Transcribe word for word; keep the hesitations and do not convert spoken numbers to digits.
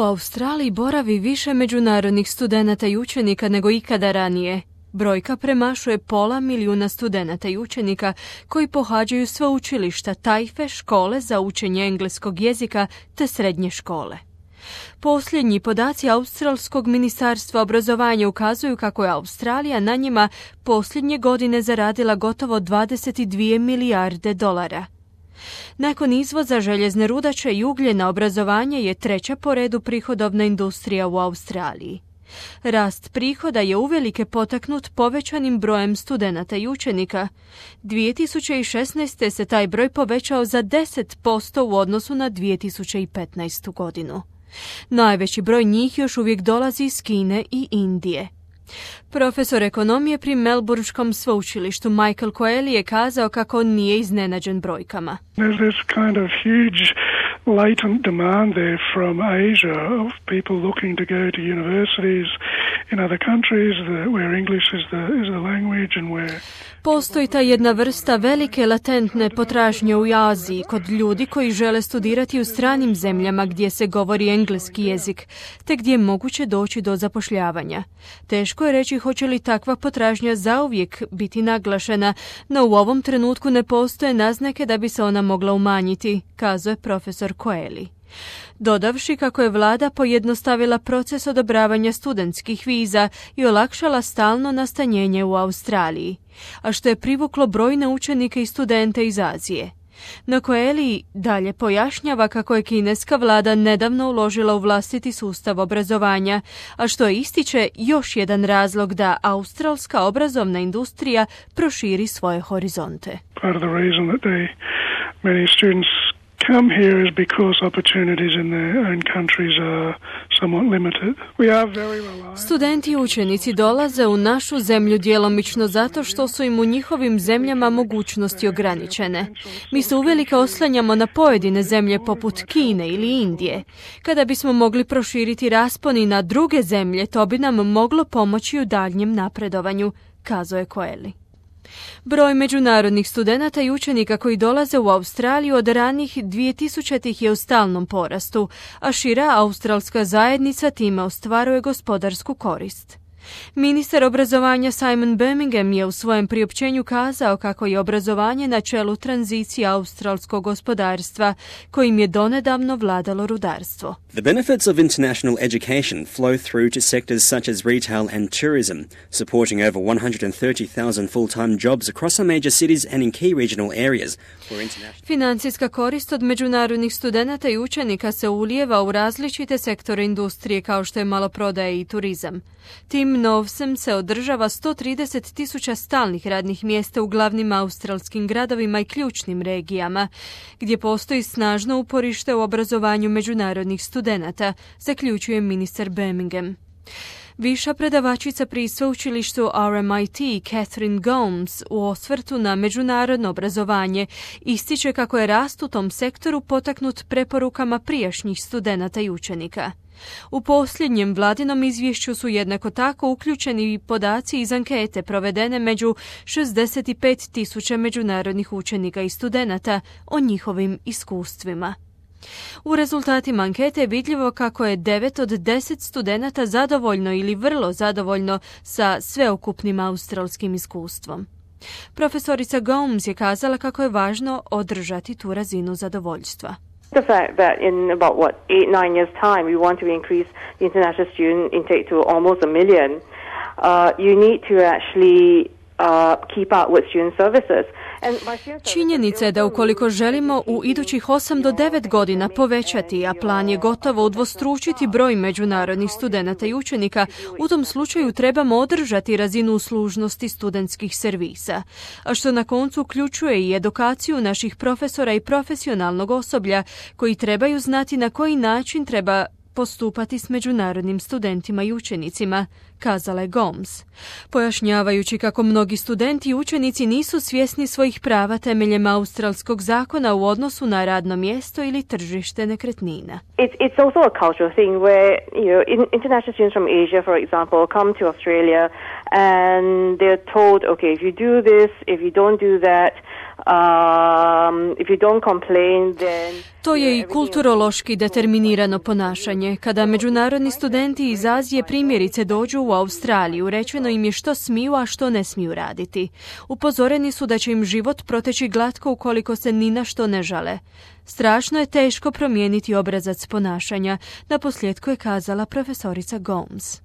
Australiji boravi više međunarodnih studenata i učenika nego ikada ranije. Brojka premašuje pola milijuna studenata i učenika koji pohađaju sveučilišta, tajfe, škole za učenje engleskog jezika te srednje škole. Posljednji podaci Australskog ministarstva obrazovanja ukazuju kako je Australija na njima posljednje godine zaradila gotovo dvadeset dvije milijarde dolara. Nakon izvoza željezne rudače i ugljena, obrazovanje je treća po redu prihodovna industrija u Australiji. Rast prihoda je uvelike potaknut povećanim brojem studenata i učenika. dvije tisuće šesnaeste. se taj broj povećao za deset posto u odnosu na dvije tisuće petnaestu. godinu. Najveći broj njih još uvijek dolazi iz Kine i Indije. Profesor ekonomije pri Melbourneskom sveučilištu Michael Coeli je kazao kako nije iznenađen brojkama. There's this kind of huge latent demand there from Asia of people looking to go to universities in other countries where English is the, is the language and where... Postoji ta jedna vrsta velike latentne potražnje u Aziji kod ljudi koji žele studirati u stranim zemljama gdje se govori engleski jezik, te gdje je moguće doći do zapošljavanja. Teško je reći hoće li takva potražnja zauvijek biti naglašena, no u ovom trenutku ne postoje naznake da bi se ona mogla umanjiti, kazao je profesor Coeli. Dodavši kako je vlada pojednostavila proces odobravanja studentskih viza i olakšala stalno nastanjenje u Australiji, a što je privuklo brojne učenike i studente iz Azije. No Coeli dalje pojašnjava kako je kineska vlada nedavno uložila u vlastiti sustav obrazovanja, a što ističe još jedan razlog da australska obrazovna industrija proširi svoje horizonte. Part of the reason that they, many students come here is because opportunities in their own countries are somewhat limited. We are very reliant. Studenti i učenici dolaze u našu zemlju djelomično zato što su im u njihovim zemljama mogućnosti ograničene. Mi se uvelike oslanjamo na pojedine zemlje poput Kine ili Indije. Kada bismo mogli proširiti raspon i na druge zemlje, to bi nam moglo pomoći u daljnjem napredovanju, kazao je Coeli. Broj međunarodnih studenata i učenika koji dolaze u Australiju od ranih dvije tisućitih je u stalnom porastu, a šira australska zajednica time ostvaruje gospodarsku korist. Ministar obrazovanja Simon Birmingham je u svojem priopćenju kazao kako je obrazovanje na čelu tranzicije australskog gospodarstva, kojim je donedavno vladalo rudarstvo. The benefits of international education flow through to sectors such as retail and tourism, supporting over one hundred thirty thousand full-time jobs across some major cities and in key regional areas. Financijska korist od međunarodnih studenata i učenika se ulijeva u različite sektore industrije kao što je maloprodaja i turizam. Tim novcem se održava sto trideset tisuća stalnih radnih mjesta u glavnim australskim gradovima i ključnim regijama, gdje postoji snažno uporište u obrazovanju međunarodnih studenata, zaključuje ministar Birmingham. Viša predavačica pri sveučilištu R M I T Catherine Gomes u osvrtu na međunarodno obrazovanje ističe kako je rast u tom sektoru potaknut preporukama prijašnjih studenata i učenika. U posljednjem vladinom izvješću su jednako tako uključeni i podaci iz ankete provedene među šezdeset pet tisuća međunarodnih učenika i studenata o njihovim iskustvima. U rezultatima ankete je vidljivo kako je devet od deset studenata zadovoljno ili vrlo zadovoljno sa sveukupnim australskim iskustvom. Profesorica Gomes je kazala kako je važno održati tu razinu zadovoljstva. The fact that in about, what, eight, nine years' time, we want to increase the international student intake to almost a million, uh, you need to actually uh, keep up with student services. Činjenica je da ukoliko želimo u idućih osam do devet godina povećati, a plan je gotovo udvostručiti broj međunarodnih studenata i učenika, u tom slučaju trebamo održati razinu uslužnosti studentskih servisa, a što na koncu uključuje i edukaciju naših profesora i profesionalnog osoblja koji trebaju znati na koji način treba postupati s međunarodnim studentima i učenicima, kazala je Gomes, pojašnjavajući kako mnogi studenti i učenici nisu svjesni svojih prava temeljem australskog zakona u odnosu na radno mjesto ili tržište nekretnina. It's, it's also a cultural thing where, you know, international students from Asia, for example, come to Australia and they're told, okay, if you do this, if you don't do that, Um, if you don't complain, then... To je i kulturološki determinirano ponašanje. Kada međunarodni studenti iz Azije primjerice dođu u Australiju, rečeno im je što smiju, a što ne smiju raditi. Upozoreni su da će im život proteći glatko ukoliko se ni na što ne žale. Strašno je teško promijeniti obrazac ponašanja, naposljetku je kazala profesorica Gomes.